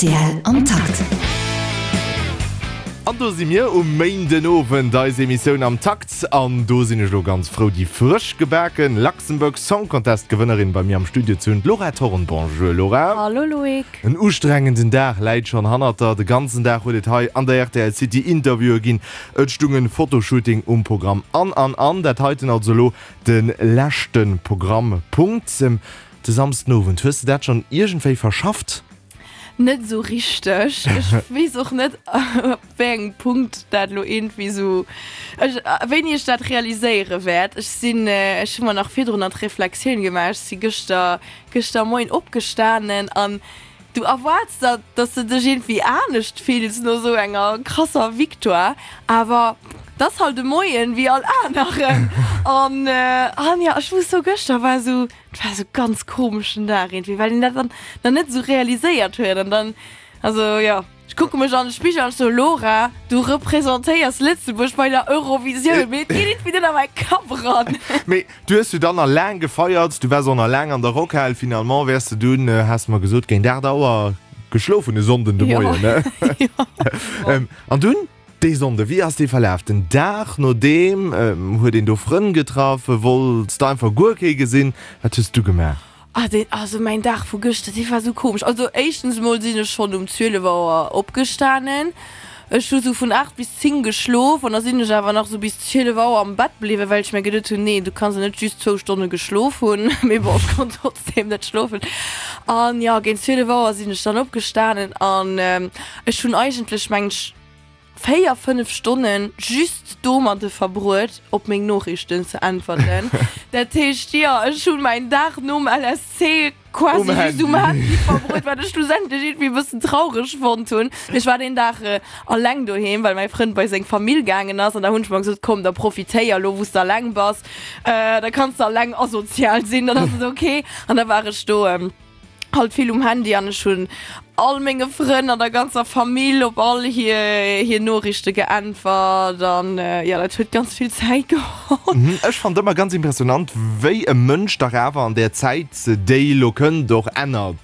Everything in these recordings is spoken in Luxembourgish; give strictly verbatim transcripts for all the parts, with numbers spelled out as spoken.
Rtl am Takt. An do si mir um Méindenowend, eis Emissioun am Takt. An do sinn ech elo ganz frou, déi frësch gebaken Luxembourg Song Contest Gewënnerin bei mir am Studio ze hunn, d'Laura Thorn. Bonjour Laura. Hallo Loïc. En ustrengenden Dag läit schonn hannert der. De ganzen Dag huet et hei an der rtl City Interviewe ginn, et stung en Fotoshooting um Programm an an an. Dat heiten also elo de leschte Programmpunkt. De Samsdenowend, hues de dat schonn iergendwéi verschafft? Net esou richteg. Ech weess och net, op wéi engem Punkt dat elo iergendwéi esou, ech, wéini ech dat realiséiere wäert. Ech sinn, ech hu mer nach virdrunner d'Reflexioun gemaach, ech si gëschter, gëschter Moien opgestanen an du erwaarts der, dass de dech iergendwéi anescht fills no esou enger krasser Victoire, awer 't ass halt e Moien wéi all aneren. An, an jo, ech muss soen, gëschter war esou, Et war esou ganz komeschen Dag irgendwie, well een dat dann nach net esou realiséiert huet an dann, also jo, ech kucke mech an de Spigel an ech sou, Laura, du representéiers Lëtzebuerg bei der Eurovisioun, mee et geet irgendwie net a mäi Kapp eran. Mee du hues jo dann nach laang gefeiert, du waars och nach laang an der Rockhal, finalement wäers de dunn, has de mer gesot, géint aacht Auer geschlof hunn e Sonnden de Moien, ne? Jo. An dunn? Dee Sonnde, wéi ass dee verlaf? Den Dag nodeem, huet een do Frënn getraff? Wollts de einfach guer kee gesinn? Wat hues du gemaach? Ah deen, also mäin Dag vu gëschter, dee war sou komesch. Also éischtens emol sinn ech schonn um zwielef Auer opgestanen. Ech hu sou vun aacht bis zéng geschlof an da sinn ech awer nach sou bis zwielef Auer am Bett bliwwen, well ech mir geduet hunn, nee, du kanns jo net just zwou Stonne geschlof hunn. Mee bon, ech konnt trotzdeem net schlofen. An jo, géint zwielef Auer sinn ech dann opgestanen an ech hunn eigentlech, mengen ech, véier, fënnef Stonnen just domadde verbruet, op meng Noriichten ze äntwerten. Dat heescht, jo, ech hunn mäin Dag nom L S C quasi just um Handy verbruet, wat ech schlussendlech iergendwéi e bëssen traureg fonnt hunn. Mee ech war deen Dag alleng doheem, well mäi Frënd bei seng Famill gaangen ass. An da hunn ech mer gesot, komm, da profitéier elo, wou s de alleng bass, da kanns de alleng asozial sinn, dann ass et ok. An da war ech do halt vill um Handy an ech hunn all menge Frënn an der ganzer Famill op all hir hir Noriichte geäntwert an jo dat huet ganz vill Zäit geholl. Ech fannt ëmmer ganz impressionant wéi e Mënsch dach awer an där Zäit déi elo kënnt och ännert.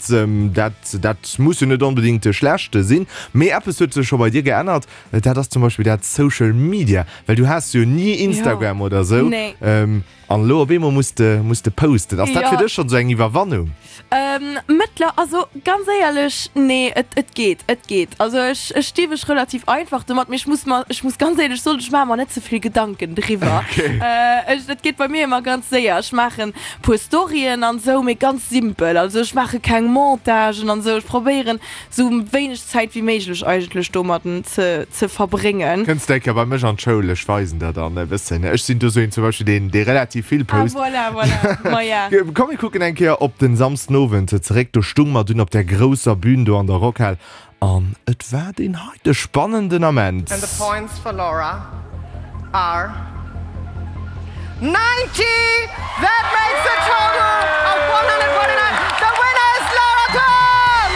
Dat dat muss jo net onbedingt schlecht sinn, mee eppes huet sech scho bei dir geännert, dat ass zum Beispill dat Social Media, well du haas jo ni Instagram oder sou. Nee. An elo op eemol muss de muss de posten. Ass dat Jo. fir dech schonn sou eng Iwwerwannung? Ähm, mëttler, also ganz éierlech, nee, et, et geet, et geet. Also ech, ech sti mech relativ einfach domat, mee ech muss mer, ech muss ganz éierlech soen, ech maache mer net ze vill Gedanken driwwer. Okay. Äh, ech, et geet bei mir ëmmer ganz séier. Ech maachen puer Storyen an sou, mee ganz simpel. Also ech maache keng Montagen an sou. Ech probéieren sou wéineg Zäit wéi méiglech eigentlech domadden ze, ze verbréngen. Kënns de eng Kéier bei mech an d'Schoul, ech weisen der dann e bëssen. Ech sinn do sou een zum Beispill, deen, dee relativ vill Ah post. voilà, voilà, maja. Komm mir kucken eng Kéier op den Samsdenowend zeréck. Do stung mer dunn op där grousser Bühn do an der Rockhal an et war deen heite spannenden Ament. And the points for Laura are ninety! That makes a total of one hundred forty-nine. The winner is Laura Thorn!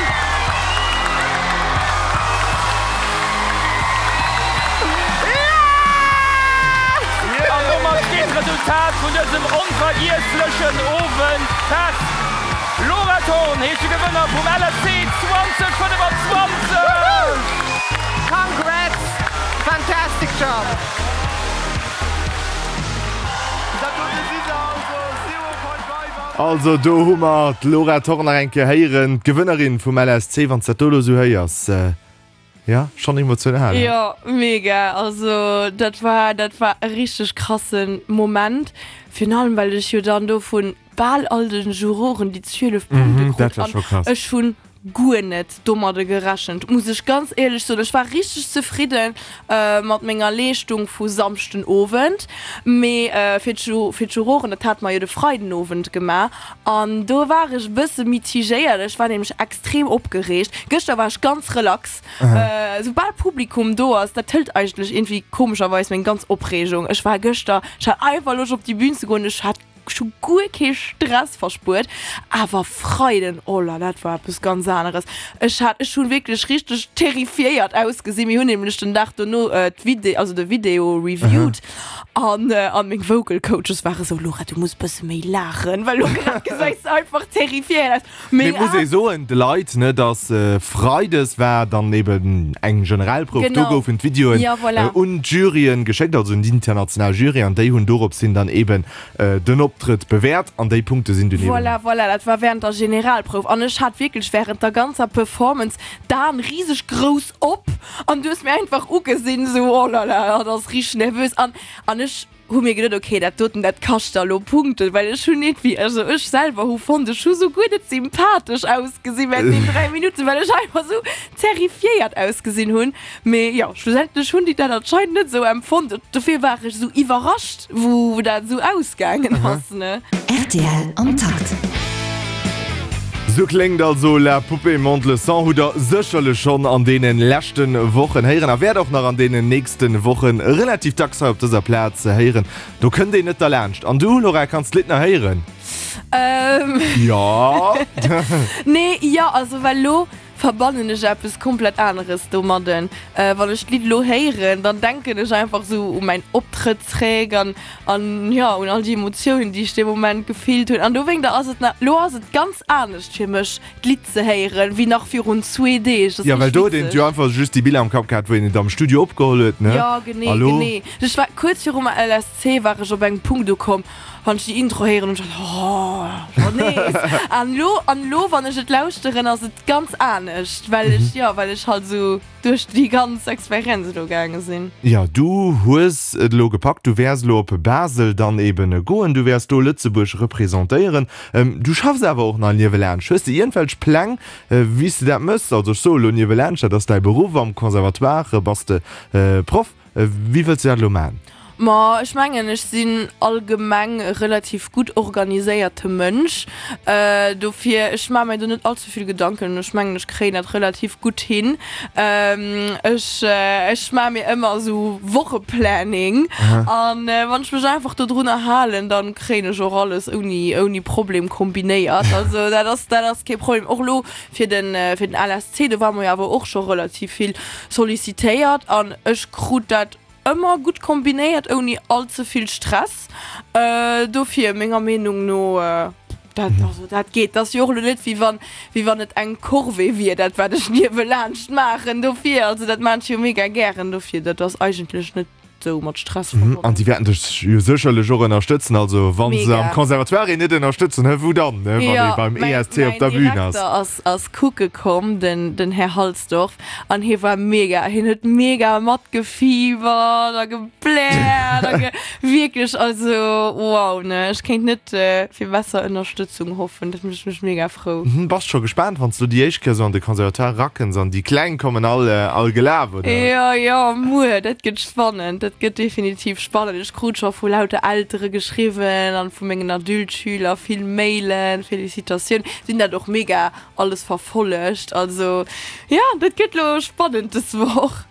Yes! An domat steet d'Resultat vun dësem onvergiesslechen Owend fest. Laura Thorn heescht de Gewënner vum L S C zweedausendfënnefenzwanzeg! Congrats! Fantastic job! Dat dote si se also, Zero Point Five an. Also do hu mer d'Laura Thorn nach eng Kéier héieren, d'Gewënnerin vum L S C. Wann s dat do elo esou héiers, jo, schonn emotional, he? Jo, mega. Also dat war, dat war e richteg krasse Moment, virun allem well ech jo dann do vun bal all de Juroren déi zwielef Punkte Mhm, dat krut war an scho krass. ech hunn guer net domadde gerechent, muss ech ganz éierlech soen. Ech war richteg zefridde mat menger Leeschtung vu Samschden Owend, mee fir fir d'Juroren, dat hate mer jo de Freiden Owend gemaach, an do war ech e bësse mitigéiert. Ech war nämlech extrem opgereegt. Gëschter war ech ganz relax. Soubal Publikum do ass, dat hëlt eigentlech iergendwéi komescherweis meng ganz Opreegung. Ech war gëschter, ech hat einfach Loscht op déi Bün ze goen, ech hat Ech hu guer kee Stress verspuert, awer Freiden, oh la, dat war eppes ganz aneres. Ech hat, ech hunn wierklech richteg terrifiéiert ausgesinn. Mir hunn nämlech den Dag dono d'Vide, also de Video reviewed An an meng Vocal Coaches ware sou, Laura, du muss bësse méi laachen, well lo grad gesäis de einfach terrifiéiert aus. Mee Meng et muss ee soen, de Leit, ne, dass Freides war dann eben eng Generalprouf, do Genau. goufen d'Videoen Ja, voilà. un d'Juryen geschéckt, also un déi international Jury, an déi hunn dorops hin dann eben den Optrëtt bewäert an déi Punkte sinn dunn eben. Voilà, voilà, dat war während der Generalprouf an ech hat wierklech während der ganzer Performance d'Aen riseg grouss op an du hues mir einfach ugesinn, sou, oh là là, hatt ass richteg nervös an an ech hu mir geduet, okay, dat doten, dat kascht der elo Punkten, well ech hunn net wéi, also ech selwer hu fonnt, ech hu sou guer net sympathesch ausgesinn während deenen dräi Minutten, well ech einfach sou terrifiéiert ausgesinn hunn. Mee jo, schlussendlech hunn déi dat anscheinend net sou empfonnt. Dofir war ech sou iwwerrascht, wou dat sou ausgaangen ass, ne. Rtl am Takt. Sou kléngt also La Poupée monte le son, hutt der sécherlech schonn an deene leschte Wochen héieren a wäert och nach an deenen nächste Woche relativ dacks hei op dëser Plaz héieren. Do kënnt een net derlaanscht. An du, Laura, kanns d'Lidd nach héieren? Ähm. Jo. Nee, jo, also well lo verbannen ech eppes komplett aneres domadden. Wann ech d'Lidd lo héieren, dann denken ech einfach sou u mäin Optrëtt zréck an an jo, un all déi Emotiounen, déi ech dee Moment gefillt hunn. An dowéinter ass et na, lo ass et ganz anescht fir mech, d'Lidd ze héieren, wéi nach virun zwee Deeg. Dat ass Jo, well richteg do huet een witzeg. jo einfach just déi Biller am Kapp gehat, wou een et am Studio opgeholl huet, ne? Jo, genee, A lo? genee. Ech war kuerz virum L S C war ech op engem Punkt ukomm, wann ech déi Intro héieren hunn ech gedacht, oh, schonn nees. An lo, an lo, wann ech et lauschteren, ass et ganz anescht, well ech, jo, well ech halt esou duerch déi ganz Experienz elo gaange sinn. Jo, du hues et elo gepackt, du wäers elo op Basel dann eben goen, du wäers do Lëtzebuerg representéieren. Du schaffs awer och nach niewelaanscht. Hues de iergendwelch Pläng, wéi s de dat méchs? Also ech soe elo niewelaanscht, dat ass däi Beruff, am Conservatoire bass de Proff. Wéi wëlls de dat elo maachen? Ma ech mengen, ech sinn allgemeng e relativ gutt organiséierte Mënsch. Dofir, ech maache mir do net all ze vill Gedanken. Ech mengen, ech kréien dat relativ gutt hin. Ech, ech maache mir ëmmer esou Wocheplanning an wann ech mech einfach dodrunner halen, dann kréien ech och alles ouni, ouni Problem kombinéiert. Also dat ass, dat ass kee Problem. Och elo fir den, fir den L S C, do ware mer jo awer och scho relativ vill sollicitéiert an ech krut dat ëmmer gutt kombinéiert ouni all ze vill Stress. Dofir menger Meenung no, dat, also dat geet. Dat ass jo och elo net wéi wann, wéi wann et eng Corvée wier, dat wat ech niewelaanscht maachen. Dofir, also dat maan ech jo mega gären, dofir dat ass eigentlech net sou mat Stress An verbonnen. déi wäerten dech jo sécherlech och ënnerstëtzen. Also wa se am Mega. Conservatoire een net ënnerstëtzen, hä wou dann, ne, wann ee Jo, beim mäin, E S C op mäin der Bühn ass. Direkter ass, ass kucke komm, den, den Här Halsdorf, an hie war mega, hien huet mega matgefiebert a gebläert a ge, wierklech, also wow, ne, ech kéint net fir besser Ënnerstëtzung hoffen, dat mécht mech mega frou. Mhm, bass scho gespaant, wann s du déi éischt Kéier sou an de Conservatoire rakënns an déi Kleng kommen all, all gelaf, oder? Jo, jo, muer, dat gëtt spannend, dat gëtt definitiv spannend. Ech krut scho vu lauter Eltere geschriwwen an vu mengen Adultschüler vill Mailen, Felicitatioun. Si hunn dat och mega alles verfollegt. Also jo, dat gëtt lo spannend dës Woch.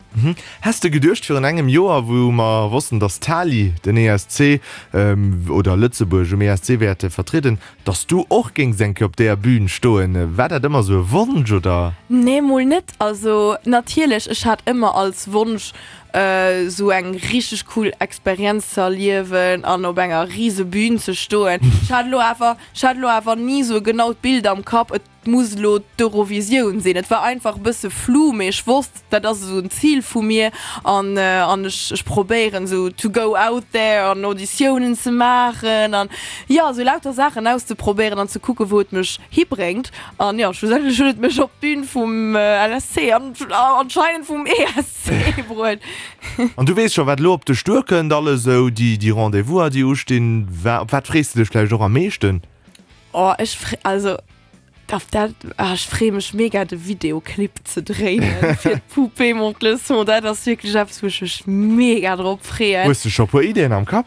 Häss de geduecht virun engem Joer, wou mer wossten, datt d'Tali den E S C oder Lëtzebuerg um E S C wäerte vertrieden, datt s du och géings eng Kéier op deeër Bühn stoen? War dat ëmmer esou e Wonsch, oder? Nee, mol net. Also natierlech, ech hat ëmmer als Wonsch, esou eng richteg cool Experienz ze erliewen an op enger rise Bühn ze stoen. Ech hat elo awer, ech hat elo awer ni esou e genaut Bild am Kapp, et muss elo d'Eurovisioun sinn. Et war einfach e bësse flou, mee ech wosst, dat ass esou en Zil vu mir an an ech ech probéieren esou to go out there an Auditiounen ze maachen an jo, esou lauter Saachen auszeprobéieren an ze kucken, wou et mech hibréngt. An jo, schlussendlech huet et mech op d'Bün vum L S C an anscheinend vum E S C bruet. An du weess scho, wat elo op dech duerkënnt, alles esou déi déi Rendez-vouser, déi ustinn. Wa op wat frees de dech vläicht och am meeschten? Oh, ech fre also Auf dat, ah, ech freeë mech mega de Videoclip ze dréinen fir d'Poupée monte le son. Dat ass wierklech eppes, wou ech mech mega drop freeën. Hues de scho puer Ideeën am Kapp?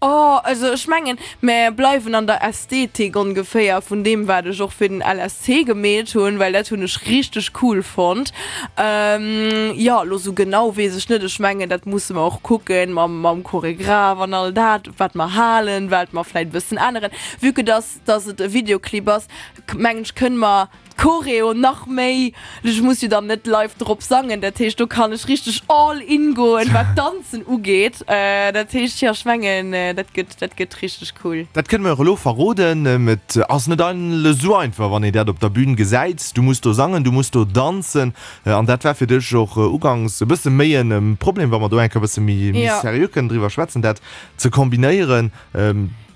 Oh, also ech mengen, mer bleiwen an der Ästhetik ongeféier vun deem, wat ech och fir den L S C gemeet hunn, well dat hunn ech richteg cool fonnt. Ähm, jo, elo sou genau weess ech net. Ech mengen, dat musse mer och kucken mam, mam Choregraph an all dat, wat mer halen, wat mer vläit e bëssen änneren. Vue que dass, dass et e Videoclip ass, mengen ech, kënne mer d'Choreo nach méi, ech muss jo dann net live drop sangen, dat heescht do kann ech richteg all in goen, wat d'Danzen ugeet. Dat heescht, jo, ech mengen, dat gëtt, dat gëtt richteg cool. Dat kënne mer och elo verroden, et ass net esou einfach, wann een dat op der Bühn gesäit. Du muss do sangen, du muss do danzen an dat war fir dech och ugangs e bësse méi e Problem, wa mer do eng Kéier e bësse méi seriö kënnen driwwer schwätzen, dat ze kombinéieren.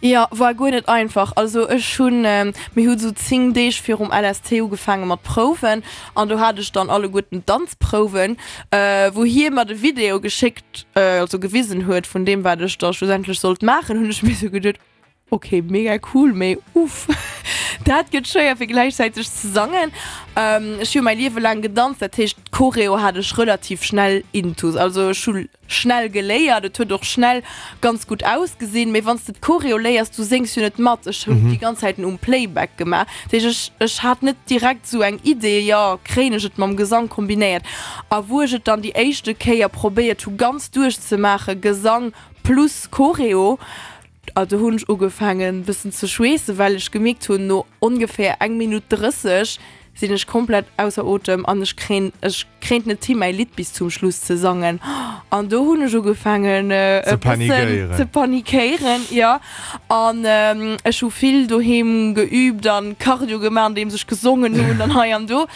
Jo, war guer net einfach. Also ech hunn, mir hu sou zéng Deeg virum L S T ugefaange mat Prouwen an do hat ech dann alleguerten d'Danzprouwen, wou hie mer de Video geschéckt, also gewisen huet vun deem wat ech da schlussendlech sollt maachen, hunn ech mir sou geduet, ok, mega cool, mee uff, dat gëtt schwéier fir gläichzäiteg ze sangen. Ech hu mäi Liewe laang gedanzt, dat heescht d'Choreo hat ech relativ schnell intus, also ech hu schnell geléiert, et huet och schnell ganz gutt ausgesinn, mee wann s de d'Choreo léiers, du séngs jo net mat, ech hunn déi ganz Zäiten um Playback gemaach, dat heescht ech ech hat net direkt esou eng Idee, jo kréien ech et mam Gesang kombinéiert. A wou ech et dann déi éischte Kéier probéiert hu ganz duerchzemaachen, Gesang plus Choreo, a do hunn ech ugefaangen bëssen ze schweessen, well ech gemierkt hunn, no ongeféier eng Minutt drësseg sinn ech komplett ausser Otem an ech kréien ech kréint net hi mäi Lidd bis zum Schluss ze sangen. An do hunn ech ugefaangen e bëssen ze panikéieren, jo. An ech hu vill doheem geüübt an Cardio gemaach andeems ech gesongen hunn an hei an do.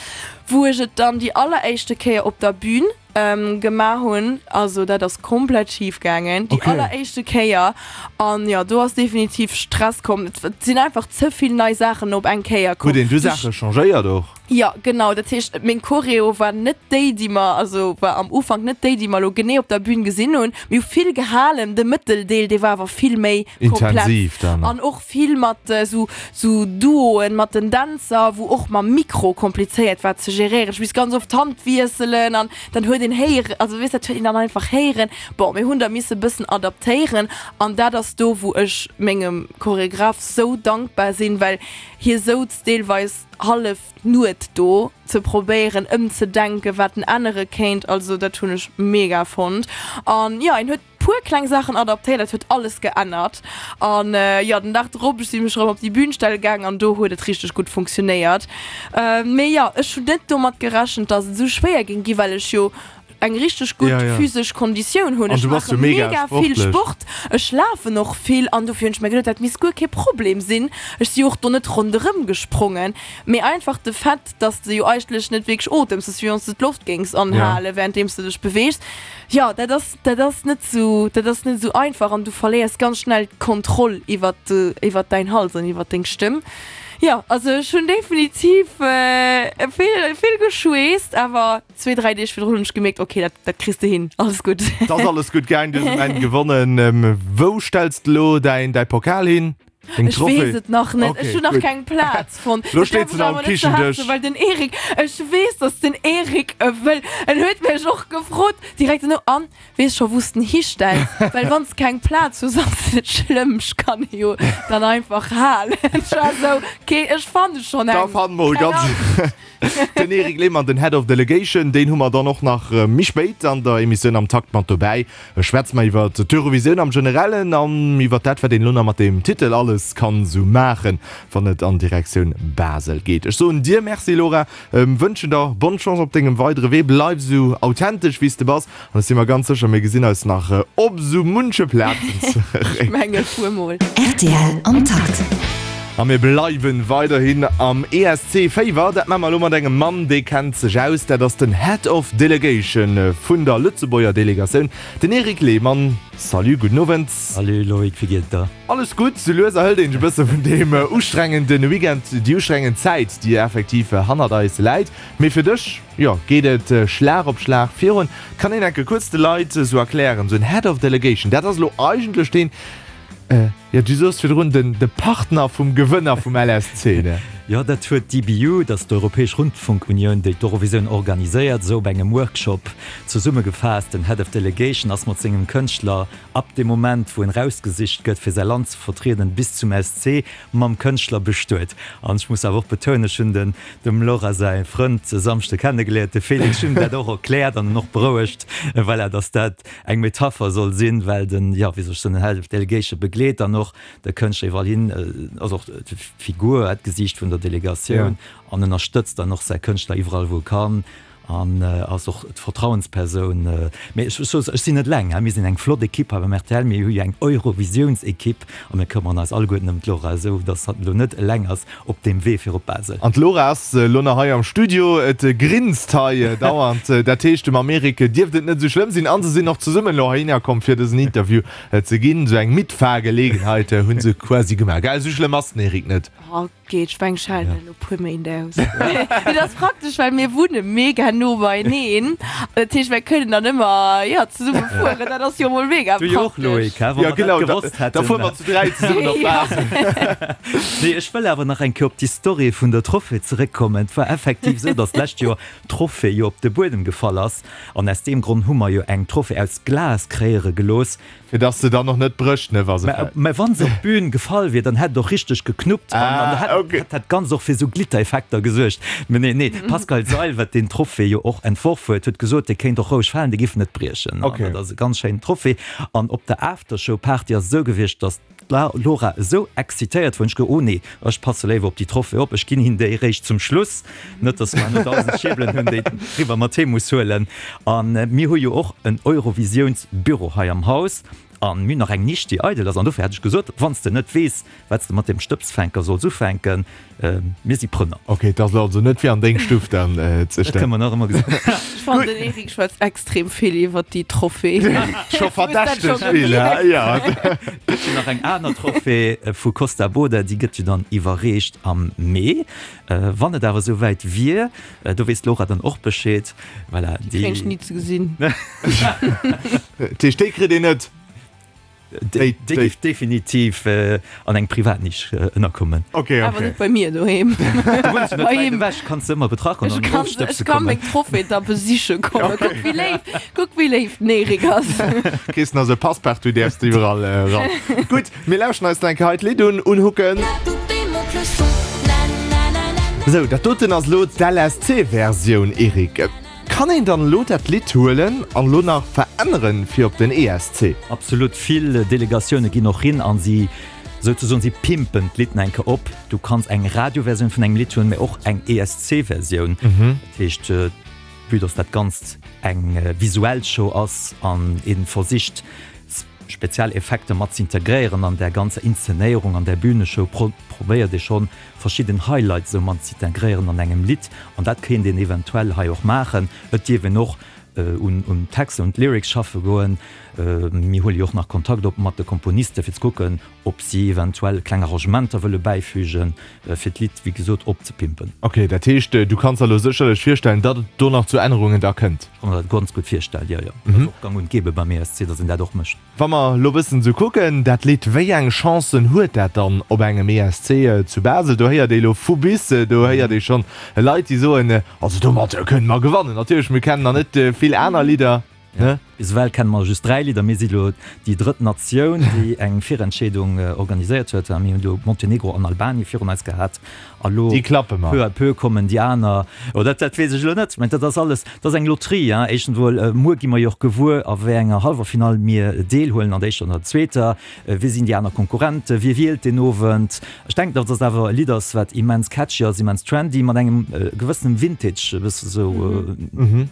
Wou ech et dann déi alleréischte Kéier op der Bühn gemaach hunn, also dat ass komplett schif gaangen, déi alleréischte Kéier. An jo, do ass definitiv Stress komm. Et sinn einfach ze vill nei Saachen op eng Kéier komm. Huet een du Saache changéiert och? Jo, genau. Dat heescht, meng Choreo war net déi, déi mer, also war am Ufank net déi, déi mer elo genee op der Bühn gesinn hunn. Mir hu vill gehalen, de Mëtteldeel, dee war awer vill méi komplex. Intensiv dann. An och vill mat esou, esou Duoen mat den Dänzer, wou och mam Mikro komplizéiert war ze geréieren. Ech misst ganz oft d'Hand wiesselen an dann huet een héieren, also weess, dat huet een dann einfach héieren. Bon, mir hunn da misse bëssen adaptéieren an dat ass do, wou ech mengem Choregraph sou dankbar sinn, well hie souz deelweis hallef d'Nuet do ze probéieren ëmzedenken, wat en ännere kéint. Also dat hunn ech mega fonnt. An jo, en huet puer kleng Saachen adaptéiert, dat huet alles geännert. An jo, den Dag drop, ech si mech erëm op déi Bühn stelle gaang an do huet et richteg gutt funktionéiert. Mee jo, ech hunn net domat gerechent, dass et esou schwéier géing ginn, well ech jo eng richteg gutt Ja, ja. physesch Konditioun hunn. An Ech du bass maache jo mega mega vill sportlech. Sport, ech lafen och vill an dofir hunn ech mir geduet, dat misst guer kee Problem sinn. Ech si jo och do net ronderëm gesprongen, mee einfach de Fait, dass de jo eigentlech net wierklech otems, dass wéi wann s de d'Loft géings Ja. anhale wärenddeems de dech beweegs. Jo, dat ass, dat ass net sou, dat ass net sou einfach an du verléiers ganz schnell d'Kontroll iwwert, iwwert däin Hals an iwwert deng Stëmm. Jo, also ech hunn definitiv vill, vill geschweesst, awer zwee, dräi Deeg virdrun hunn ech gemierkt, ok, dat, dat kriss de hin, alles gutt. Et ass alles gutt gaang, du hues um Enn gewonnen. Wou stells de elo däin, däi Pokal hin? Deng Ech weess Trophée? et nach net, ech Ok, hunn nach gutt. keng Plaz fonnt. Elo Dat steet däerf se ech nach um awer net ze haart Kichendësch. soen, well den Eric, ech weess, dass den Eric e wëll. En huet mech och gefrot direkt duerno, An, weess scho wou s den histells? Well wann s keng Plaz hues, ass et net schlëmm, ech kann e jo dann einfach halen. Ech war esou, ok, ech fanne schonn Da eng. fanne mer Keng ganz. Angscht. Den Eric Lehmann, den Head of Delegation, deen hu mer dann och nach méi spéit an der Emissioun am Takt mat dobäi. Schwätze mer iwwer d'Eurovisioun am Generellen an iwwer dat, wat een elo nach mat deem Titel alles kann esou maachen, wann et an Direktioun Basel geet. Ech soen dir Merci, Laura, wënschen der bonne Chance op dengem weidere Wee. Bleif esou authentesch, wéi s de bass an ech si mer ganz sécher, mir gesinn eis nach op esou munche Plazen zeréck. Ech mengen, fuer mol. Rtl am Takt. A mir bleiwen weiderhin am E S C Féiwer. Dat maache mer elo mat engem Mann, dee kennt sech aus. Dat ass den Head of Delegation vun der Lëtzebuerger Delegatioun, den Eric Lehmann. Salut, gudden Owend. Salut Loïc, wéi geet et der? Alles gutt. Sou lues erhëlt een sech e bësse vun deem ustrengende Weekend, déi ustrengend Zäit, déi effektiv hannert eis läit. Mee fir dech, jo, geet et Schlag op Schlag virun. Kann een enke kuerz de Leit esou erklären, esou en Head of Delegation, dat ass elo eigentlech deen, Jo, du soos virdrun, den de Partner vum Gewënner vum L S C, ne? Jo, dat huet d'E B U, dat ass d'Europäesch Rundfunkunioun, déi d'Eurovisioun organiséiert, esou op engem Workshop zesummegefaasst. Den Head of Delegation ass mat sengem Kënschtler ab dem Moment, wou en erausgesicht gëtt, fir säi Land ze vertrieden, bis zum S C mam Kënschtler bestuet. An ech muss awer och betounen, ech hunn den dem Laura säi Frënd e Samschde kennegeléiert, de Félix, ech hunn him dat och erkläert an en och berouegt, voilà, dass dat eng Metapher soll sinn, well den, jo, wéi soll ech soen, den Head of Delegation begleet dann och och de Kënschtler iwwerall hin, ass och d'Figur, d'Gesiicht vun der Delegatioun an ënnerstëtzt dann och säi Kënschtler iwwerall wou e kann. An ass och d'Vertrauenspersoun. Mee ech soen, ech sinn net eleng, mir sinn eng flott Ekipp hei beim rtl. Mir hu jo eng Eurovisiouns-Ekipp a mir këmmeren eis alleguerten ëm d'Laura, esou datt hatt elo net eleng ass op deem Wee fir op Basel. An d'Laura ass elo nach hei am Studio. Et grinst hei dauernd. Dat heescht, dem Amerik dierft et net esou schlëmm sinn. A se sinn och zesummen elo heihinner komm, fir dësen Interview ze ginn. Esou eng Mitfahrgelegenheit hu se quasi gemaach. Gell, esou schlëmm ass den Eric net. Geet, ech meng, ech halen elo puer Méint aus. Et ass praktesch, well mir wunne mega no beieneen. Dat heescht, mir kënnen dann ëmmer, jo, zesumme fueren. Dat ass jo mol mega Du jo och, praktesch. Loïc, he? Wa Ja, mer dat genau, da, gewosst da hätten. fuere mer zu dräi zesummen op Basel. Nee, ech wëll awer nach eng Kéier op déi Story vun der Trophée zeréckkommen. Et war effektiv esou, datt d'lescht Joer d'Trophée jo op de Buedem gefall ass. An aus deem Grond hu mer jo eng Trophée aus Glas kreéiere gelooss. Fir dass se dann och net brécht, ne, wa se fält. Mä wa se op d'Bün gefall wier, dann hätt et och richteg geknuppt an dann Ah, ok. hätt dat Ganzt och fir esou Glittereffekter gesuergt. Mä nee, nee, d'Pascale Seil, wat deen Trophée jo och entworf huet, huet gesot, dee kéint och roueg falen, dee giff net briechen. Ok. An dat ass e ganz schéinen Trophée. An op der Aftershow-Party ass et esou gewiescht, dass d'Laura esou excitéiert wor, hunn ech gesot, oh nee, ech passe léiwer op déi Trophée op, ech ginn him déi eréischt zum Schluss, net dass mer herno dausend Schierbelen hunn, déi eriwwer mat heem muss huelen. A mir hu jo och en Eurovisiounsbüro hei am Haus a mir hunn nach eng Nisch, déi eidel ass. An dofir hat ech gesot, wann s de net weess, wat s de mat deem Stëbsfänker solls ufänken, mir si Prënner. Ok, et ass also net fir an deng Stuff dann ze Dat kënne mer nach ëmmer gesinn. Ech fannen, den Eric schwätzt extrem vill iwwert déi Trophée. Scho Hues dat scho verdächteg vill, gemierkt? he? Ja. Et gëtt jo nach eng aner Trophée vu Kosta Boda, déi gëtt jo dann iwwerreecht am Mee. Wann et awer esou wäit wier, do weess d'Laura dann och Bescheed. Voilà, Déi kréien ech déi. ni ze gesinn. Dat heescht, déi kritt een net? Déi géif definitiv an eng Privatnisch ënnerkommen. Ok, ok. Awer net bei mir doheem. Du wunns jo net wäit ewech, kanns se ëmmer betrachen Ech an kann, ofstëbse ech kann kommen. meng Trophée da besiche kommen. Kuck wéi léif, kuck wéi léif den Eric ass. Kriss nach esou e Passepartout, däerfs de iwwerall eran. Gutt, mir lauschten eis nach eng Kéier hei d'Lidd un, Unhooken. Sou, dat doten ass elo d'LSC-Versioun, Eric. Kann een dann elo dat Lidd huelen an elo nach veränneren fir op den ESC? Absolut, vill Delegatioune ginn och hin an si souzesoen, si pimpen d'Lidd nach eng Kéier op. Du kanns eng Radioversioun vun engem Lidd hunn, mä och eng ESC-Versioun. Dat heescht, vue dass dat Ganzt eng visuell Show ass an ee versicht speziell Effekter mat z'integréieren an där ganzer Inszenéierung, an där Bühneshow, probéiert ee schonn verschidden Highlights esou mat z'integréieren an engem Lidd. An dat kéint een eventuell hei och maachen. Et dierf een och un un d'Texter, un d'Lyrics schaffe goen. Mir huele jo och nach Kontakt op mat de Komponiste fir ze kucken, ob si eventuell kleng Arrangementer wëlle bäifügen, fir d'Lidd wéi gesot opzepimpen. Ok, dat heescht, du kanns der elo sécherlech virstellen, datt et do nach zu Ännerungen da kënnt? Ech ka mer dat ganz gutt virstellen, jo, jo. Dat ass och gang und gäbe beim ESC, datt een dat och mécht. Wa mer elo bëssen esou kucken, dat Lidd, wéi eng Chancen huet dat dann op engem ESC zu Basel? Do héiert ee elo vu bis, do héiert ee schonn Leit, déi soen, also domat kënne mer gewannen. Natierlech, mir kennen nach net vill aner Lidder, ne? Bis ewell kenne mer just dräi Lidder. Mir si elo déi drëtt Natioun, déi eng Virentscheedung organiséiert huet. Mir hunn do Montenegro an Albanien virun eis gehat. A lo Déi klappe mer. peu à peu kommen déi aner. Oh, dat, dat weess ech elo net. Mä dat ass alles, dat ass eng Loterie, hein. Éischtens emol, muer gi mer jo och gewuer, a wéi enger Hallwerfinall mir deelhuelen, an der éischter an der zweeter. Wie sinn déi aner Konkurrenten? Wie wielt deen Owend? Ech denken, datt et awer e Lidd ass, wat immens catchy ass, immens trendy, mat engem gewëssenen Vintage, e bësse sou,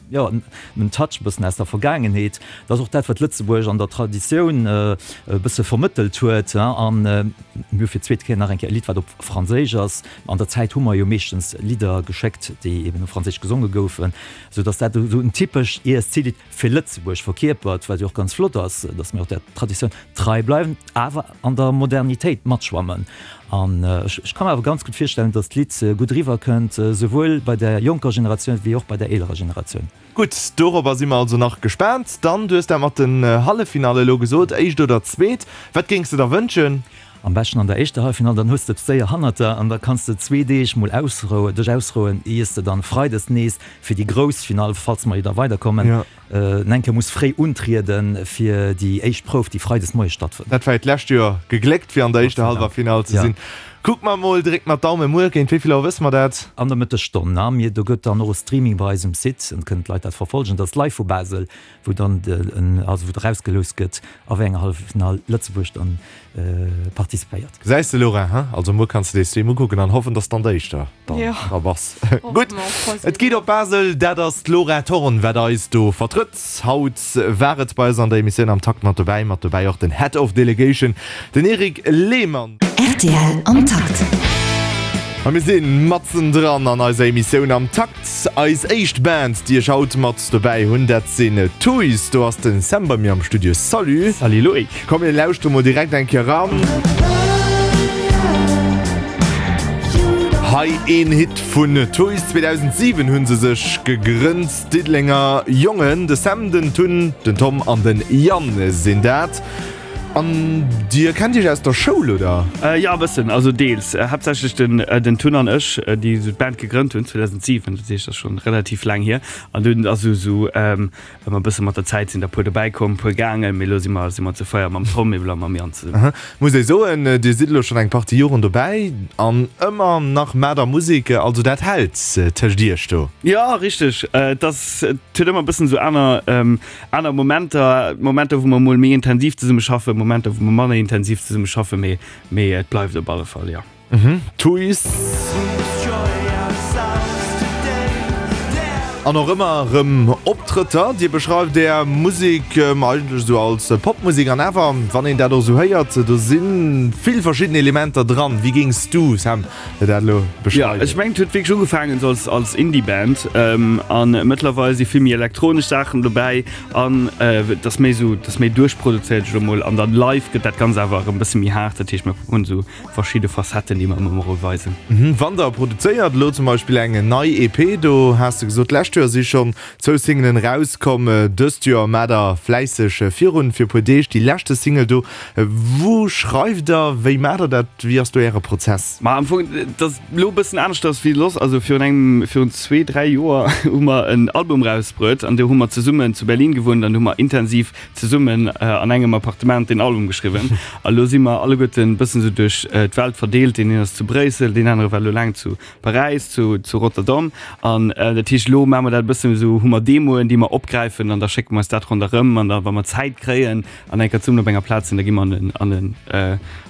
jo, en Touch e bëssen aus der Vergaangenheet. Dat ass och dat, wat Lëtzebuerg an der Traditioun e bësse vermëttelt huet. An mir hu fir d'zweet Kéier nach eng Kéier e Lidd, wat op Franséisch ass. An der Zäit hu mer jo meeschtens Lidder geschéckt, déi eben op Franséisch gesonge goufen, sou datt dat esou en typescht ESC-Lidd fir Lëtzebuerg verkierpert, wat jo och ganz flott ass, datt mir och där Traditioun trei bleiwen, awer an der Modernitéit matschwammen. An ech ka mer awer ganz gutt virstellen, datt d'Lidd gutt eriwwerkënnt, souwuel bei der jonker Generatioun wéi och bei der eelerer Generatioun. Gutt, dorobber si mer also nach gespaant. Dann, du hues dat mat den Halleffinalle elo gesot, éischt oder zweet, wat géings de der wënschen? Am beschten an der éischter Halleffinall, dann hues de et séier hannert der an da kanns de zwee Deeg mol ausrouen, dech ausrouen, iers de dann freides nees fir déi grouss Finall, falls mer jo da weiderkommen, eng Kéier muss fréi untrieden fir déi éischt Prouf, déi freides moies stattfënnt. Dat war jo d'lescht Joer gegléckt, fir an der éischter Hallwerfinall ze sinn. Kucke mer mol, drécke mer d'Daumen. Muer géint wéi vill Auer wësse mer dat? An der Mëttesstonn, a mir, do gëtt dann och e Streaming bei eis um Site an kënnen d'Leit dat verfollegen. Dat ass live vu Basel, wou dann de, also wou erausgeloust gëtt, a wéi enger Halleffinall Lëtzebuerg dann participéiert. Gesäis de Laura, he? Also muer kanns de dee Stream ukucken an hoffen, dass dann d'éischter dann Jo. dra bass. Gutt, et geet op Basel, dat ass d'Laura Thorn, wat eis do vertrëtt. Haut war et bei eis an der Emissioun am Takt mat dobäi, mat dobäi och den Head of Delegation, den Eric Lehmann. Rtl am Takt. A mir si matzen dran an eiser Emissioun am Takt. Eis éischt Band, déi ech haut mat dobäi hunn, dat sinn Tuys. Do ass den Sam bei mir am Studio. Salut. Salut Loïc. Komm mir lauschtere mol direkt eng Kéier eran. Hei een Hit vun Tuys. zweedausentsiwen hu se sech gegrënnt, Diddelenger Jongen. De Sam, den Tun, den Tom an den Yann sinn dat. An dir kennt iech aus der Schoul, oder? Jo, e bëssen, also deels. Haaptsächlech den den Tun an ech, déi esou d'Band gegrënnt hunn zweedausentsiwen, dat heescht, dat ass schonn relativ laang hier. An dunn ass esou esou ëmmer e bësse mat der Zäit sinn der puer dobäi komm, puer gaangen, mee elo si mer si mer zu véier mam Tom ewell a mam Yann zesummen. Aha. Muss ee soen, dir sidd elo schonn eng Partie Joren dobäi an ëmmer nach maacht der Musek, also dat hält tëscht iech do? Jo, richteg. Et ass, et huet ëmmer e bëssen esou aner Aner Momenter, Momenter wou mer mol méi intensiv zesumme schaffen, Momenter wou mer manner intensiv zesumme schaffen, mee mee et bleift op alle Fall, jo. Tuys. An och ëmmer erëm Optrëtter. Dir beschreift Är Musek eigentlech esou als Popmusek an awer, wann een dat och esou héiert, do si vill verschidden Elementer dran. Wéi géings du, Sam, dat elo beschreiwen? Jo, ech mengen et huet wierklech ugefaangen esou als als Indie-Band an mëttlerweil si vill méi elektronesch Saachen dobäi an et ass méi esou, et ass méi duerchproduzéiert elo mol an dann live gëtt dat Ganzt awer erëm e bësse méi haart. Dat heescht mir hunn esou verschidde Facetten, déi mer ëmmer mol weisen. Wann der produzéiert, elo zum Beispill eng nei E P, do has de gesot d'lescht Joer si schonn zwou Singelen erauskomm, dëst Joer maacht der fläisseg virun fir e puer Deeg déi leschte Single do. Wou schreift der, wéi maacht der dat, wéi ass do äre Prozess? Ma am Fong, et ass elo e bëssen aneschters wéi soss. Also virun engem, virun zwee, dräi Joer hu mer en Album erausbruet an do hu mer zesummen zu Berlin gewunnt an do hu mer intensiv zesummen an engem Appartement deen Album geschriwwen. A lo si mer alleguerten e bëssen esou duerch d'Welt verdeelt. Deen een ass zu Bréissel, deen anere war elo laang zu Paräis, zu, zu Rotterdam. An dat heescht, elo maache mer dat e bëssen esou, hu mer Demoen, déi mer opgräifen an da schécke mer eis dat ronderëm an da wa mer Zäit kréien an eng Kéier zesummen op enger Plaz sinn, da gi mer an en, an en,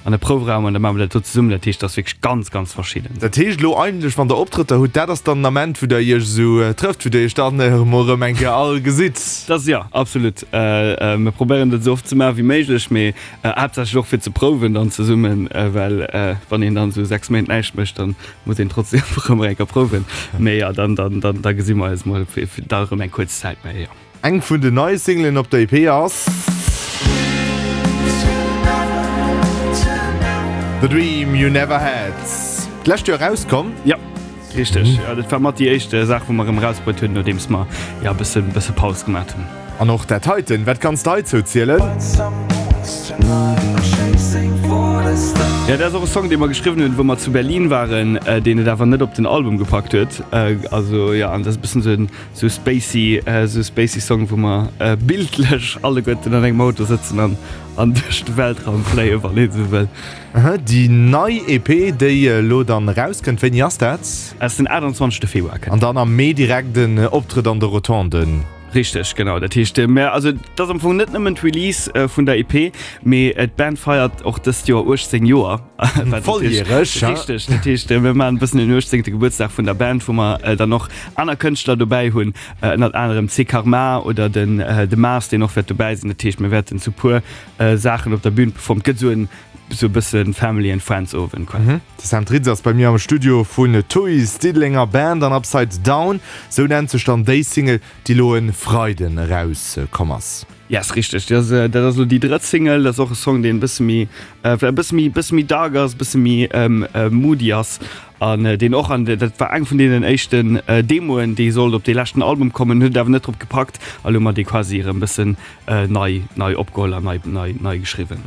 an e Proufraum an da maache mer dat do zesummen. Dat heescht, dat ass wierklech ganz, ganz verschidden. Dat heescht elo eigentlech, wann Der Optrëtter hutt, dat ass dann den Ament, wou Der Iech esou trëfft, wou Der Iech dann emol erëm eng Kéier all gesitt? Dat ass, jo, absolut. Mir probéieren dat esou oft ze maache wéi méiglech, mee haaptsächlech och fir ze prouwen dann zesummen, well wann een dann esou sechs Méint näischt mécht, dann muss een trotzdem erëm eng Kéier prouwen. Mee jo, dann, dann, dann, da gesi mer eis mol fir, fir da erëm eng kuerz Zäit méi, jo. Eng vun den neie Singlen op der E P ass The Dream You Never Had. D'lescht Joer erauskomm. Jo, richteg. Jo, dat war mat déi éischt Saach, wou mer erëm erausbruet hunn, nodeems mer, jo, e bëssen, bësse Paus gemaat hunn. An och dat heiten, wat kanns de heizou zielen? Jo, dat ass och e Song, dee mer geschriwwen hunn, wou mer zu Berlin waren, deen et awer net op den Album gepackt huet. Also jo, an dat ass e bëssen esou en esou spacey, esou spacey Song, wou mer bildlech alleguerten an engem Auto sëtzen an an duerch de Weltraum fléien, wann een esou wëll. Aha, déi nei E P, déi elo dann erauskënnt, wéini ass dat? Ass den aachtanzwanzegste Februar. An dann am Mee direkt en Optrëtt an de Rotonden. Richteg, genau. Dat heescht, mä also et ass am Fong net nëmmen d'Release vun der E P, mee d'Band feiert och dëst Joer uechtzéng Joer. Volljäreg, ha? Richteg, dat heescht, mir maachen e bëssen den uechtzéngte Gebuertsdag vun der Band, wou mer dann och aner Kënschtler dobäi hunn, ënnert anerem C Karma oder den de Mars, deen och wäert dobäi sinn. Dat heescht, mir wäerten zu puer Saachen op der Bün performen. Et gëtt esou en esou e bësse Family and Friends Owend quasi. De Sam Tritz ass bei mir am Studio vun Tuys, Diddelenger Band an Upside Down, sou nennt sech dann déi Single, déi lo e Freiden eraus komm ass. Yes, richteg. Dat ass, dat ass elo déi drëtt Single. Dat ass och e Song, deen e bësse méi, vläicht e bësse méi, bësse méi dark ass, e bësse méi moody ass an deen och an, dat war eng vun deenen éischten Demoen, déi sollt op dee leschten Album kommen, huet et awer net drop gepackt a lo hu mer dee quasi erëm e bëssen nei, nei opgeholl an nei, nei, nei geschriwwen.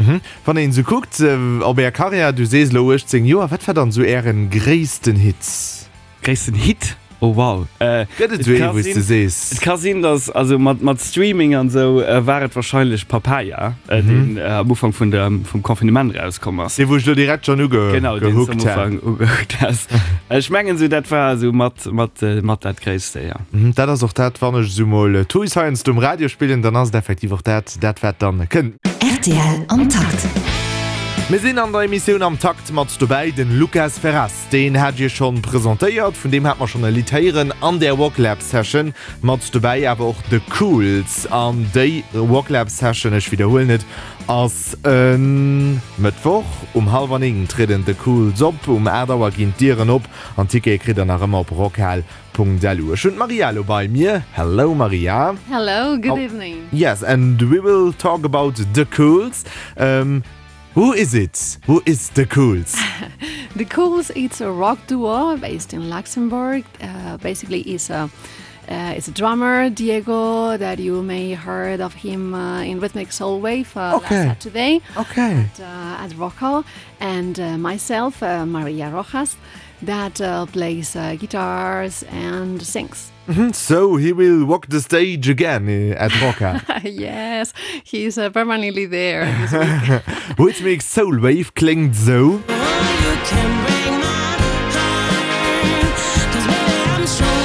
Wann een esou kuckt op Är Karriär, du sees elo uechtzéng Joer, wat war dann esou Ären gréissten Hit? Gréissten Hit? Oh wow. Äh, Gëtt et et sou ee ka wou s de sinn, sees? et ka sinn, dass also mat, mat Streaming an sou äh, war et wahrscheinlech Papaya, äh, Mhm. deen äh, am Ufank vun der, vum Confinement rauskomm ass. Dee wou ech lo direkt schonn uge Genau, deen s du am gehookt hat. Ufank ugehookt has. Ech mengen sou dat war sou mat, mat, äh, mat dat Gréisste, ja. Mhm, dat ass och dat, wann ech sou mol Toys heiansdo um Radio spillen, dann ass et effektiv och dat, dat wat dann kënnt. R T L am Takt. Mir sinn an der Emissioun am Takt mat dobäi den Lucas Ferraz. Deen hat Dir schonn presentéiert, vun deem hat mer schonn e Lidd héieren an der Rocklab Session. Mat dobäi awer och The Cools. An déi Rocklab Session, ech widderhuelen et, ass e Mëttwoch um hallwer néng trieden The Cools op, um aacht Auer ginn d'Dieren op an Tickete kritt der nach ëmmer op rockhal Punkt L U. Ech hunn d'Maria elo bei mir. Hello Maria. Hello, good Oh. evening. Yes, and we will talk about The Cools. Um, who is it? Who is The Cools? The Cools, it's a rock duo based in Luxembourg. Uh, basically, it's a uh, it's a drummer Diego that you may heard of him uh, in Rhythmic Soul Wave uh, Okay. last Saturday Okay. at, uh, at Rockhal, and uh, myself, uh, Maria Rojas, that uh, plays uh, guitars and sings. So he will walk the stage again uh, at Rockhal. Yes, he's uh, permanently there this week. Rhythmic Soul Wave kléngt sou. You can break my heart, 'cause baby, I'm stronger.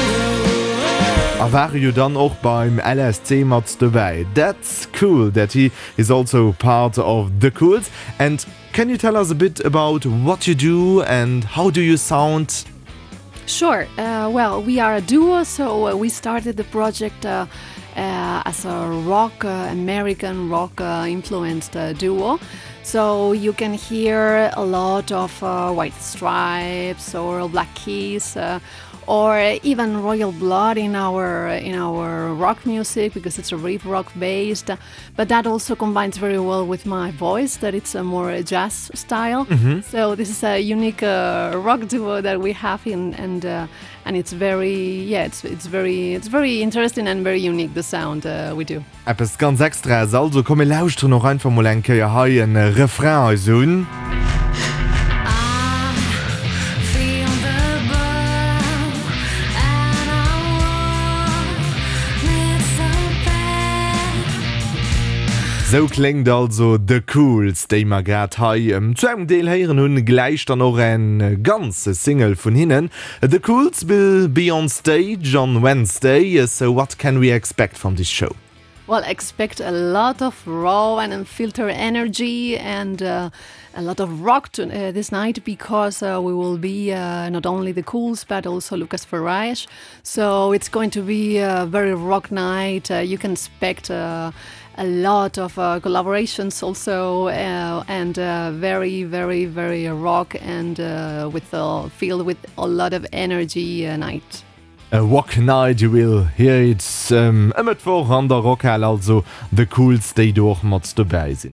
A war jo dann och beim L S C mat dobäi. That's cool that he is also part of The Cools. And can you tell us a bit about what you do and how do you sound? Sure. Uh, well, we are a duo, so uh, we started the project uh, uh, as a rock, uh, American rock uh, influenced uh, duo. So you can hear a lot of uh, White Stripes or Black Keys. Uh, or even Royal Blood in our in our rock music because it's a riff rock based, but that also combines very well with my voice that it's a more jazz style. So this is a unique uh, rock duo that we have in and uh, and it's very yeah it's it's very it's very interesting and very unique, the sound uh, we do. Eppes ganz Extraes also. Komm mir lauschteren och einfach mol eng Kéier hei en Refrain eis un. I feel the burn and I want it so bad. Sou kléngt also The Cools, déi mer grad hei um, zu engem Deel héieren hunn, gläich dann och eng ganz Single vun hinnen. The Cools will be on stage on Wednesday, so what can we expect from this show? Well, expect a lot of raw and unfiltered energy and uh, a lot of rock to, uh, this night because uh, we will be uh, not only the Cools but also Lucas Ferraes. So it's going to be a very rock night. Uh, you can expect uh, a lot of uh, collaborations also uh, and uh, very, very, very rock and uh, with uh, filled with a lot of energy uh, night. A Rock Night, you will hear it um, e Mëttwoch an der Rockhal, also The Cools, déi do och mat dobäi sinn.